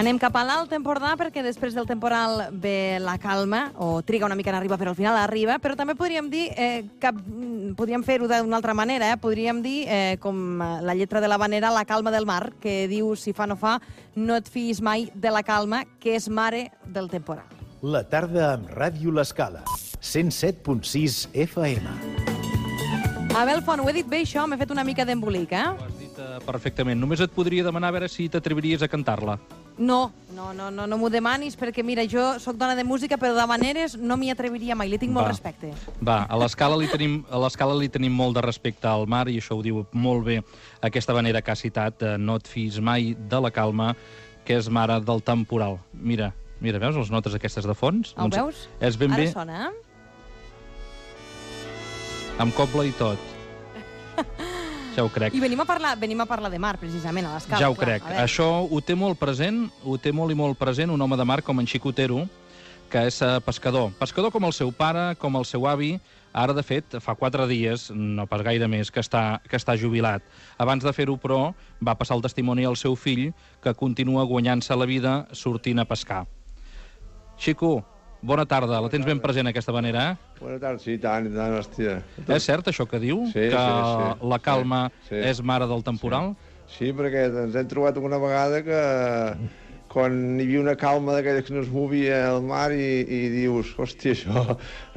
Anem cap a l'Alt Empordà perquè després del temporal ve la calma, o triga una mica en arribar, però al final arriba, però també podríem dir que podríem fer-ho d'una altra manera, podríem dir, com la lletra de l'havanera, la calma del mar, que diu, si fa no fa, no et fiïs mai de la calma, que és mare del temporal. La tarda amb Ràdio L'Escala, 107.6 FM. Abel Font, ho he dit bé, això? M'he fet una mica d'embolic, Ho has dit perfectament. Només et podria demanar a veure si t'atreviries a cantar-la. No m'ho demanis, perquè, mira, jo sóc dona de música, però d'havaneres no m'hi atreviria mai, li tinc molt respecte. Va, a l'Escala li tenim molt de respecte al mar, i això ho diu molt bé aquesta havanera que ha citat, no et fiïs mai de la calma, que és mare del temporal. Mira, veus les notes aquestes de fons? Ho veus? És ben bé... Ara sona, Amb cobla i tot. Ja ho crec. I venim a parlar de mar, precisament, a l'Escala. Ja ho crec. Això ho té molt present, un home de mar com en Xico Otero, que és pescador. Pescador com el seu pare, com el seu avi. Ara, de fet, fa 4 dies, no pas gaire més, que està jubilat. Abans de fer-ho, però, va passar el testimoni al seu fill, que continua guanyant-se la vida sortint a pescar. Xico, bona tarda. La tens ben present, aquesta manera, Bona tarda, sí, tant, hòstia. És cert, això que diu? Sí, que sí. la calma Sí. és mare del temporal? Sí, perquè ens hem trobat una vegada que quan hi havia una calma d'aquelles que no es movia al mar i dius, hòstia,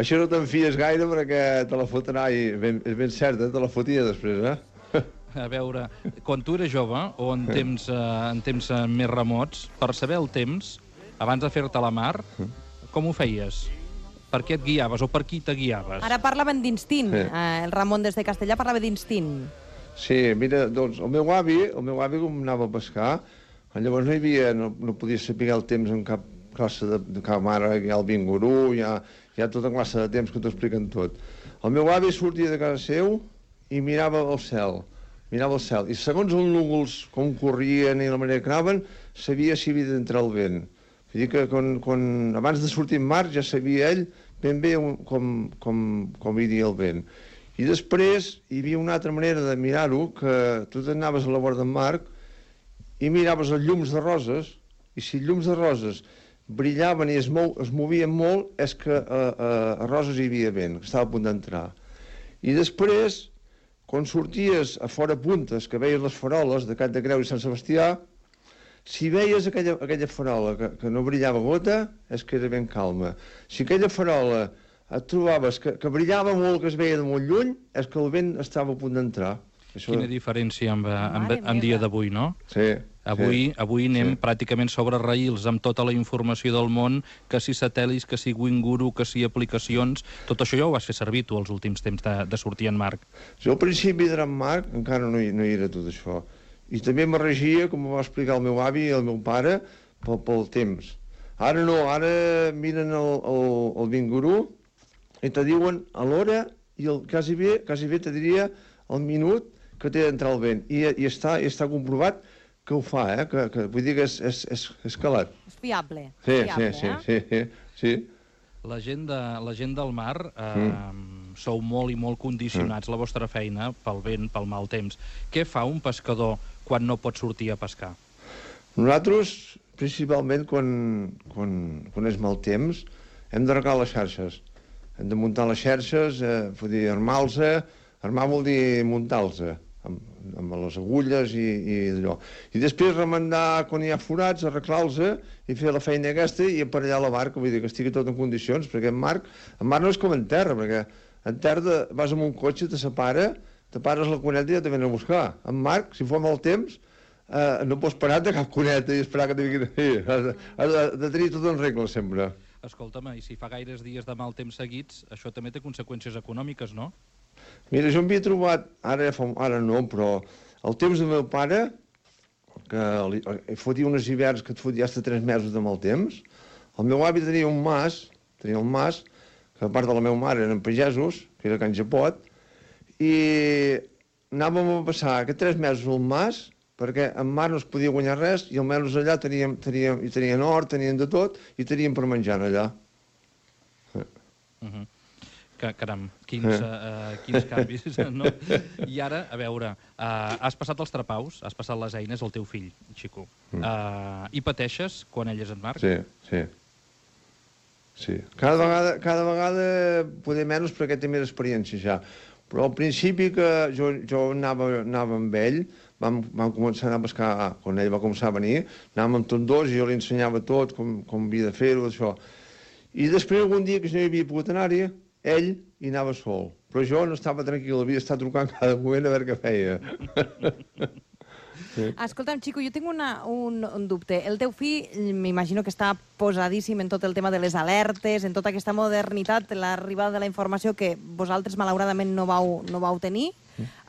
això no te'n fies gaire perquè te la fotrà, i és ben cert, te la fotia després, A veure, quan tu eres jove, o en temps més remots, per saber el temps, abans de fer-te a la mar, com ho feies? Per què et guiaves o per qui te guiaves? Ara parlaven d'instint. Sí. El Ramon des de Castellà parlava d'instint. Sí, mira, doncs el meu avi com anava a pescar, llavors no podia saber el temps en cap classe de cap mare, hi ha el Bingurú, hi ha tota classe de temps que t'ho expliquen tot. El meu avi sortia de casa seu i mirava el cel, i segons els núvols com corrien i la manera que anaven, sabia si havia d'entrar el vent. Vull dir que abans de sortir en mar ja sabia ell ben bé com iria el vent. I després hi havia una altra manera de mirar-ho, que tu t'anaves a la vora del mar i miraves els llums de roses, i si els llums de roses brillaven i es movien molt, és que a Roses hi havia vent, que estava a punt d'entrar. I després, quan sorties a fora puntes, que veies les faroles de Cat de Creu i Sant Sebastià, si veies aquella farola que no brillava gota, és que era ben calma. Si aquella farola et trobaves que brillava molt, que es veia de molt lluny, és que el vent estava a punt d'entrar. Quina diferència amb dia d'avui, no? Sí. Avui anem pràcticament sobre raïls amb tota la informació del món, que si satèl·lits, que si Winguru, que si aplicacions... Tot això ja ho vas fer servir tu els últims temps de sortir en mar. Jo al principi d'anar en mar encara no hi era tot això. I també me regia, com va explicar el meu avi i el meu pare, pel temps. Ara no, ara miren el Bingurú i te diuen a l'hora i quasi bé te diria el minut que té d'entrar el vent. I està comprovat que ho fa, que vull dir que és calat. És fiable. Sí. La gent del mar sou molt i molt condicionats, la vostra feina, pel vent, pel mal temps. Què fa un pescador quan no pot sortir a pescar? Nosaltres, principalment, quan és mal temps, hem d'arreglar les xarxes. Hem de muntar les xarxes, vull dir, armar-los, armar vol dir muntar-los, amb les agulles i allò. I després remendar quan hi ha forats, arreglar-los i fer la feina aquesta i aparellar la barca, vull dir que estigui tot en condicions, perquè en mar no és com en terra, perquè en terra vas amb un cotxe, te separa, te pares la cuneta i ja te venen a buscar. En mar, si fa mal temps, no pots parar de cap cuneta i esperar que te vinguin. Has de tenir tot en regla sempre. Escolta'm, i si fa gaires dies de mal temps seguits, això també té conseqüències econòmiques, no? Mira, jo m'havia trobat, ara no, però el temps del meu pare, que fotia uns hiverns que et fotia fins a 3 mesos de mal temps, el meu avi tenia un mas, que a part de la meva mare eren pagesos, que era Can Japot, i anàvem a passar aquests 3 mesos al mas, perquè en mar no es podia guanyar res, i almenys allà tenien hort, tenien de tot, i tenien per menjar allà. Caram, quins canvis, no? I ara, a veure, has passat els trapaus, has passat les eines al teu fill, Xico. I pateixes quan ell és en Marc? Sí. Cada vegada poder menys perquè té més experiència ja. Però al principi que jo anava amb ell, vam començar a anar a pescar, quan ell va començar a venir, anàvem amb tots dos i jo li ensenyava tot, com havia de fer-ho, això. I després, algun dia que jo no hi havia pogut anar-hi, ell hi anava sol. Però jo no estava tranquil, havia d'estar trucant cada moment a veure què feia. Escolta'm, Xico, jo tinc un dubte. El teu fill, m'imagino que està posadíssim en tot el tema de les alertes, en tota aquesta modernitat, l'arribada de la informació que vosaltres, malauradament, no vau tenir.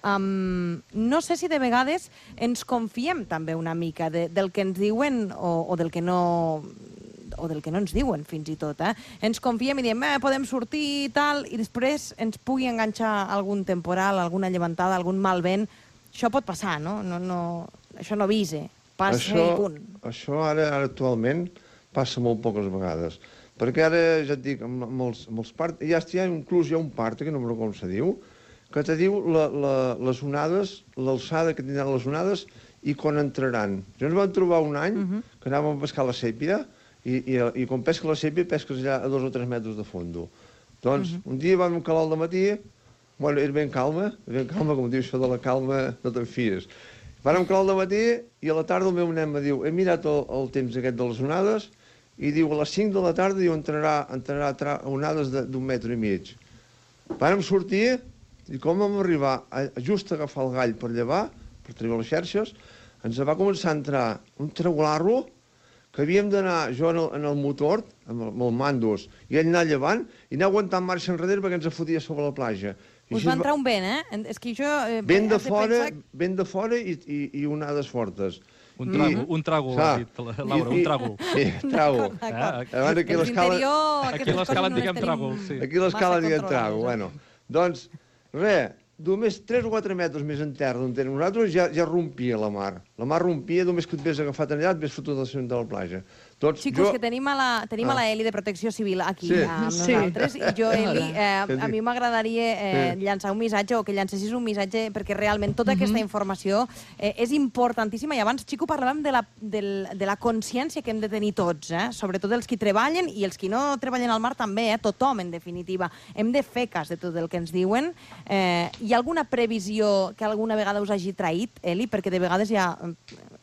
No sé si de vegades ens confiem també una mica del que ens diuen o del que no ens diuen, fins i tot. Ens confiem i diem, podem sortir i tal, i després ens pugui enganxar algun temporal, alguna llevantada, algun mal vent. Això pot passar, no? Això no avisa. Passa i punt. Això ara actualment passa molt poques vegades. Perquè ara, ja et dic, amb els parts... Inclús hi ha un part, que no me recordo com se diu, que te diu les onades, l'alçada que tindran les onades i quan entraran. Jo ens vam trobar un any que anàvem a pescar la sèpia i quan pesca la sèpia pesques allà a 2 o 3 metres de fondo. Doncs un dia vam calar al dematí, bueno, era ben calma, com diu això de la calma, no te'n fies. Vàrem calar al dematí i a la tarda el meu nen me diu, he mirat el temps aquest de les onades i diu, a les 5 de la tarda diu, entrarà onades d'1,5 metres. Vàrem sortir i com vam arribar just a agafar el gall per llevar, per treure les xerxes, ens va començar a entrar un traularro que havíem d'anar jo en el motor, amb el mandos, i ell anar llevant i anar aguantant marxa enrere perquè ens fotia sobre la platja. Us va entrar un vent, És que jo... Vent de fora i onades fortes. Un tràgol, ha dit Laura, un tràgol. Sí, tràgol. Aquí a l'escala en diguem tràgol, sí. Aquí a l'escala en diguem tràgol, bueno. Doncs, res, només 3 o 4 metres més en terra d'on tenim nosaltres ja rompia la mar. La mar rompia, només que et ves agafat allà, et ves fotut al centre de la platja. Xicos, que tenim a la Eli de Protecció Civil aquí amb nosaltres, i jo, Eli, a mi m'agradaria llançar un missatge, o que llancessis un missatge, perquè realment tota aquesta informació és importantíssima, i abans, Xico, parlàvem de la consciència que hem de tenir tots, sobretot els qui treballen i els qui no treballen al mar també, tothom, en definitiva. Hem de fer cas de tot el que ens diuen. Hi ha alguna previsió que alguna vegada us hagi traït, Eli? Perquè de vegades ja...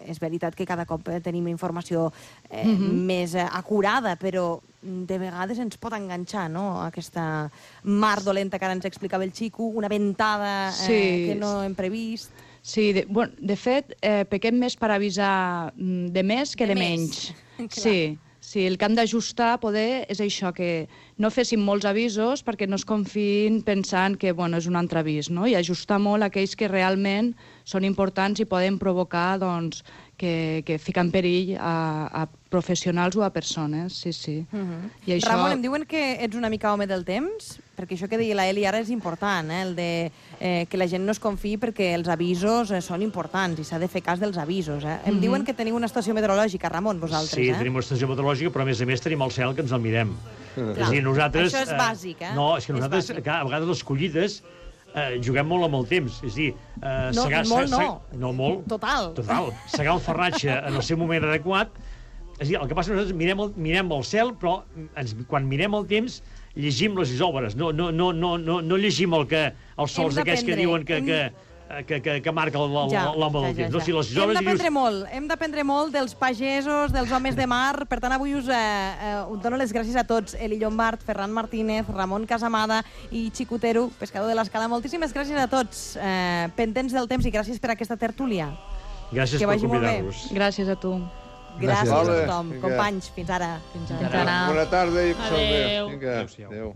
És veritat que cada cop tenim informació més acurada, però de vegades ens pot enganxar, no?, aquesta mar dolenta que ara ens explicava el Xico, una ventada que no hem previst. Sí, de fet, pequem més per avisar de més que de menys. Sí, el que hem d'ajustar poder és això, que no féssim molts avisos perquè no es confiïn pensant que és un altre avís, no? I ajustar molt aquells que realment són importants i poden provocar que fica en perill a professionals o a persones, sí. Ramon, em diuen que ets una mica home del temps, perquè això que deia la Eli ara és important, el de que la gent no es confiï perquè els avisos són importants i s'ha de fer cas dels avisos. Em diuen que teniu una estació meteorològica, Ramon, vosaltres. Sí, tenim una estació meteorològica, però a més tenim el cel que ens el mirem. És a dir, nosaltres... Això és bàsic, No, és que nosaltres, a vegades les collides, juguem molt amb el temps. És a dir... Molt no. No, molt. Total. Segar el farratge en el seu moment adequat. És a dir, el que passa és que nosaltres mirem el cel, però quan mirem el temps llegim les isòbares. No llegim els sols aquests que diuen que marca l'home del temps. No, si les isòbares... Hem d'aprendre molt dels pagesos, dels homes de mar. Per tant, avui us dono les gràcies a tots. Eli Llombart, Ferran Martínez, Ramon Casamada i Xico Tero, pescador de l'Escala. Moltíssimes gràcies a tots. Pendents del temps i gràcies per aquesta tertúlia. Gràcies per convidar-vos. Gràcies a tu. Gràcies a tothom. Companys, fins ara. Bona tarda i que Adéu. Adéu.